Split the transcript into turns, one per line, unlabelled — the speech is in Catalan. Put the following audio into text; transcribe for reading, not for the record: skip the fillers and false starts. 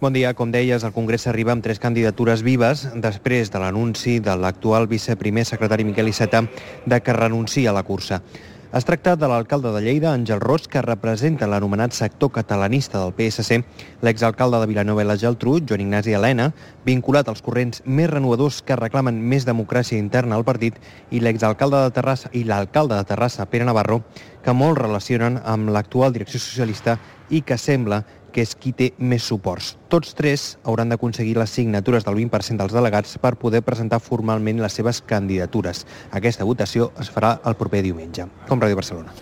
Bon dia. Com deies, el Congrés arriba amb 3 candidatures vives després de l'anunci de l'actual viceprimer secretari Miquel Iceta de que renuncia a la cursa. Es tracta de l'alcalde de Lleida, Àngel Ros, que representa l'anomenat sector catalanista del PSC, l'exalcalde de Vilanova i la Geltrú, Joan Ignasi Elena, vinculat als corrents més renovadors que reclamen més democràcia interna al partit, i l'exalcalde de Terrassa i l'alcalde de Terrassa, Pere Navarro, que molt relacionen amb l'actual direcció socialista i que sembla que és qui té més suports. Tots 3 hauran d'aconseguir les signatures del 20% dels delegats per poder presentar formalment les seves candidatures. Aquesta votació es farà el proper diumenge. Com Ràdio Barcelona.